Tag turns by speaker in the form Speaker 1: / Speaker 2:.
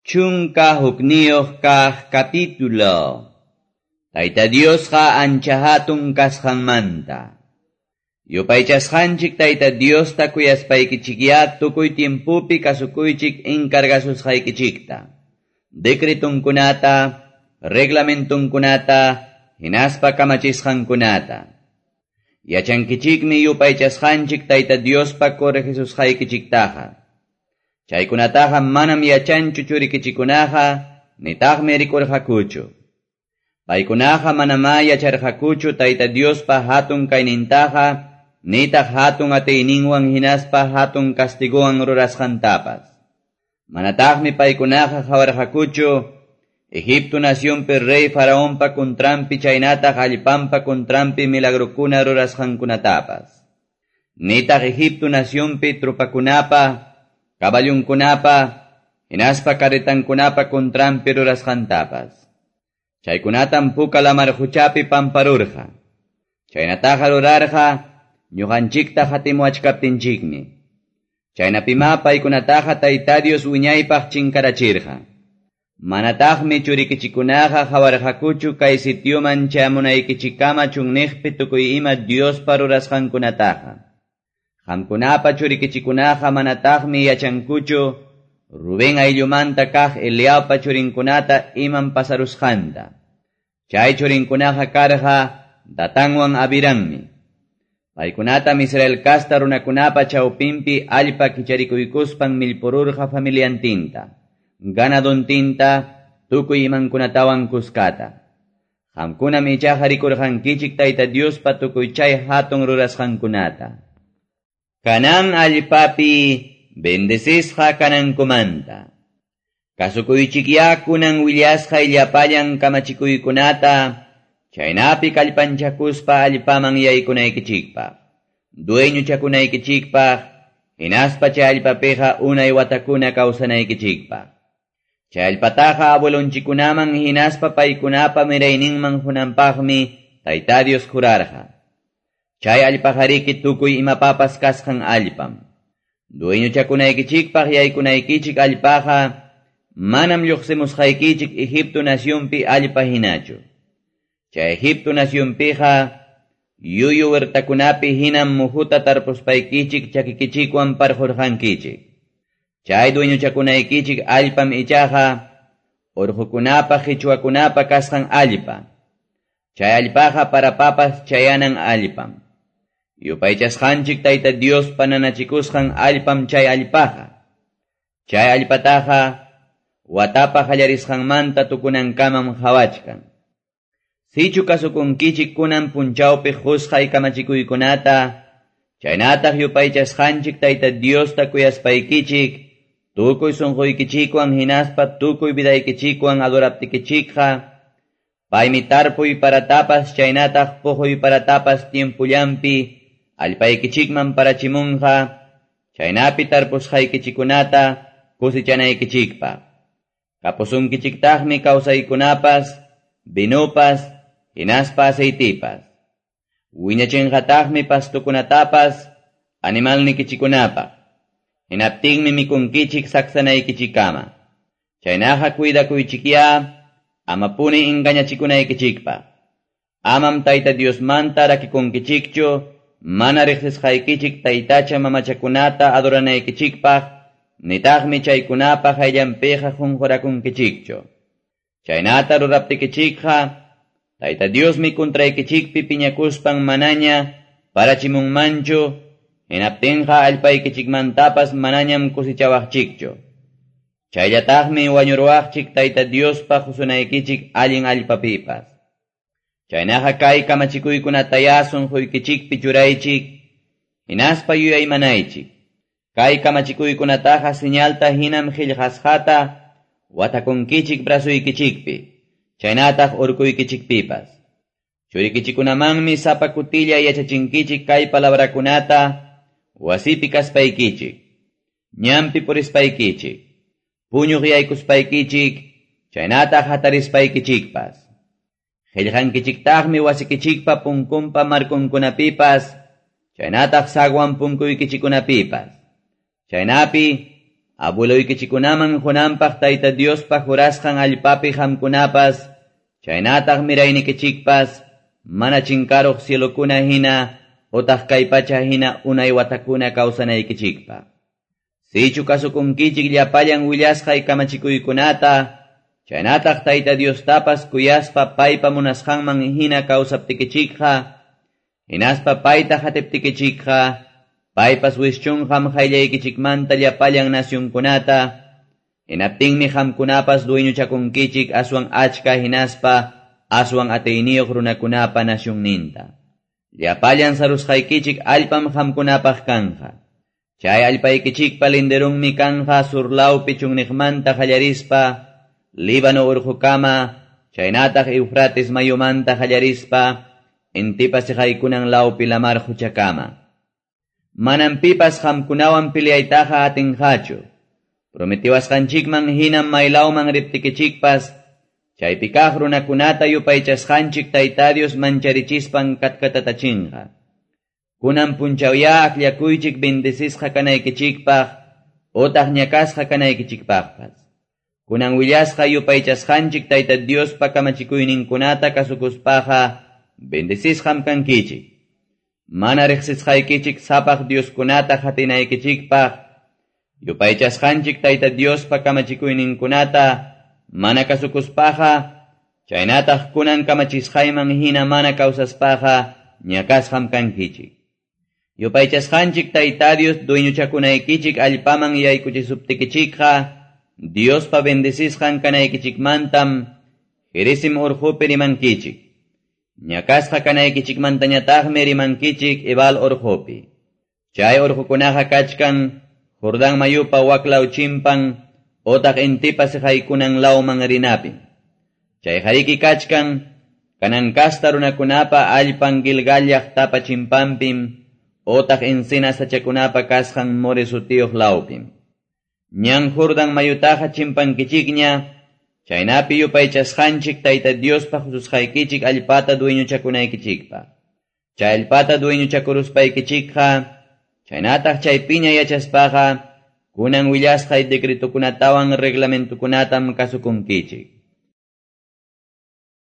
Speaker 1: 11 kaq capítulo. Tayta Diosqa ancha hatun kasqanmanta. Yupaychasqanchik Tayta Diosta kuyaspaykichikya tukuy tiempopi kasukuychik encargasusqaykichikta. Decretunkunata, reglamentunkunata, hinaspa kamachisqankunata. Yachankichikmi yupaychasqanchik Tayta Diospa corregisusqaykichiktaqa. Chaykunataqa manam yachanchu churikichikunaqa, nitaqmi rikurqakuchu. Paykunaqa manamá yacharqakuchu Tayta Diospa hatun kaynintaqa, nitaq hatun atiyninwan hinaspa hatun castigowan rurasqantapas. Manataqmi paykunaqa qawarqakuchu Egipto nacionpi rey Faraonpa contranpi chaynataq allpanpa contranpi milagrokuna rurasqankunatapas. Nitaq Egipto nacionpi tropakunapa, caballunkunapa, hinaspa carretankunapa contranpi rurasqantapas. Chaykunatam puka lamar quchapi pamparurqa. Chaynataqa rurarqa ñuqanchikta hatimuachkaptinchikmi. Chaynapima paykunataqa Tayta Dios wiñaypaq chinkarachirqa. Manataqmi churikichikunaqa qawarqakuchu kay sitioman chayamunaykichikkama chunniqpi tukuy ima Diospa rurasqankunataqa. Qamkunapa churikichikunaqa manataqmi yachankuchu Rubén ayllumanta kaq Eliabpa churinkunata imam pasarusqanta. Chay churinkunaqa karqa Datanwan Abiranmi. Paykunatam Israel kasta runakunapa chawpinpi allpa kicharikuykuspan millpururqa familiantinta, ganadontinta, tukuy imankunatawan kuskata. Qamkunam ichaqa rikurqankichik Tayta Diospa tukuy chay hatun rurasqankunata. Canaán allpapi bendecisqa kanankumanta. Kasukuychikya kunan willasqay llapallan kamachikuykunata, chaynapi kallpanchakuspa allpaman yaykunaykichikpaq, dueñochakunaykichikpaq, hinaspa chay allpapiqa unay watakuna kawsanaykichikpaq. Chay allpataqa abuelonchikunaman hinaspa paykunapa mirayninman qunanpaqmi Tayta Dios jurarqa. Chay allpaqariki tukuy imapapas kasqan allpam. Dueñochakunaykichikpaq yaykunaykichik allpaqa manam lluqsimusqaykichik Egipto nacionpi allpa hinachu. Chay Egipto nacionpiqa yuyu huertakunapi hinam muhuta tarpuspaykichik chakikichikwan parqurqankichik. Chay dueñochakunaykichik allpam ichaqa urqukunapa qichwakunapa kasqan allpa. Chay allpaqa parapapas chayanan allpam. Yupaychasqanchik Tayta Diospa nanachikusqan allpam chay allpaqa. Chay allpataqa watapa qallarisqanmanta tukunankamam qhawachkan. Sichu kasukunkichik kunan punchawpi qusqay kamachikuykunata, chaynataq yupaychasqanchik Tayta Diosta kuyaspaykichik, tukuy sunquykichikwan hinaspa tukuy vidaykichikwan adoraptikichikqa, paymi tarpuy paratapas chaynataq puquy paratapas tiempullanpi allpaykichikman parachimunqa, chaynapi tarpusqaykichikunata kusichanaykichikpaq. Kapusunkichiktaqmi kawsaykunapas, vinopas, hinaspa aceitipas. Wiñachinqataqmi pastukunatapas, animalnikichikunapaq. Hinaptinmi mikunkichik saksanaykichikkama. Chaynaqa cuidakuychikya, amapuni engañachikunaykichikpaq. Amam Tayta Diosmanta rakikunkichikchu, mana riqsisqaykichik taytacha mamachakunata adoranaykichikpaq, nitaqmi chaykunapa hayllanpiqa qunqurakunkichikchu. Chaynata ruraptikichikqa, Tayta Diosmi contraykichikpi piñakuspan manaña parachimunmanchu, hinaptinqa allpaykichikmantapas manañam kusichawaqchikchu. Chayllataqmi wañuruwaqchik Tayta Diospa qusunaykichik allin allpapipas. Chaynaqa kay kamachikuykunataya sunquykichikpi churaychik, hinaspa yuyaymanaychik. Kay kamachikuykunataqa señalta hinam qillqasqata watakunkichik brazuykichikpi, chaynataq urkuykichikpipas. Churikichikunamanmi sapa kutilla yachachinkichik kay palabrakunata wasipi kaspaykichik, ñanpi purispaykichik, puñuq yaykuspaykichik, chaynataq hatarispaykichikpas. Qillqankichiktaqmi wasikichikpa punkunpa markunkunapipas, chaynataq sagwan punkuykichikunapipas. Chaynapi Abueloykichikkunaman qunanpaq Tayta Diospa jurasqan allpapi qamkunapas, chaynataq miraynikichikpas, mana chinkaruq cielokuna hina, otaq kay pacha hina unay watakuna kawsanaykichikpaq. Sichu kasukunkichik llapallan willasqay kamachikuykunata, chaynataq Tayta Diostapas kuyaspa paypa munasqanman hina kawsaptikichikqa, hinaspa payta qatiptikichikqa, paypas wischunqam qayllaykichikmanta llapallan nacionkunata, hinaptinmi qamkunapas dueñochakunkichik aswan achka hinaspa aswan atiyniyuq runakunapa nacionninta. Llapallan sarusqaykichik allpam qamkunapaq kanqa. Chay allpaykichikpa linderunmi kanja surlawpi chunniqmanta qallarispa, Líbano urqukama, chaynataq Eufrates mayumanta qallarispa, intipa siqaykunan lawpi lamar quchakama. Manam pipas qamkunawan peleaytaqa atinqachu. Prometiwasqanchikman hinam maylawman riptikichikpas, chaypi kaq runakunata yupaychasqanchik Tayta Dios mancharichispan katkatatachinqa. Kunan punchawya akllakuychik bendecisqa kanaykichikpaq, otaq ñakasqa kanaykichikpaqpas. Kunan willasqa yupaychasqanchik Tayta Diospa kamachikuyninkunata kasukuspaqa bendecisqam kankichik. Mana riqsisqaykichik sapaq Dioskunata qatinaykichikpaq, yupaychasqanchik Tayta Diospa kamachikuyninkunata mana kasukuspaqa, chaynataq kunan kamachisqayman hina mana kawsaspaqa ñakasqam kankichik. Yupaychasqanchik Tayta Dios dueñochakunaykichik allpaman yaykuchisuptikichikqa, Diospa bendecisqan kanaykichikmantam Gerizim urqupi rimankichik. Ñakasqa kanaykichikmantañataqmi rimankichik Ebal urqupi. Chay urqukunaqa kachkan Jordán mayupa waklaw chimpan otaq intipa siqaykunan lawman rinapim. Chay hariki kachkan Kanan kasta runakunapa allpan Gilgal llaqtapa chimpanpim otaq encina sachakunapa kasqan More sutiyuq lawpim. Ñan Jordan mayutaqa chimpankichikña, chaynapi yupaychasqanchik Tayta Diospa hususqaykichik allpata dueñochakunaykichikpaq. Chay allpata dueñochakuruspaykichikqa, chaynataq chaypiña yachaspaqa, kunan willasqay decretokunatawan reglamentokunatam kasukunkichik.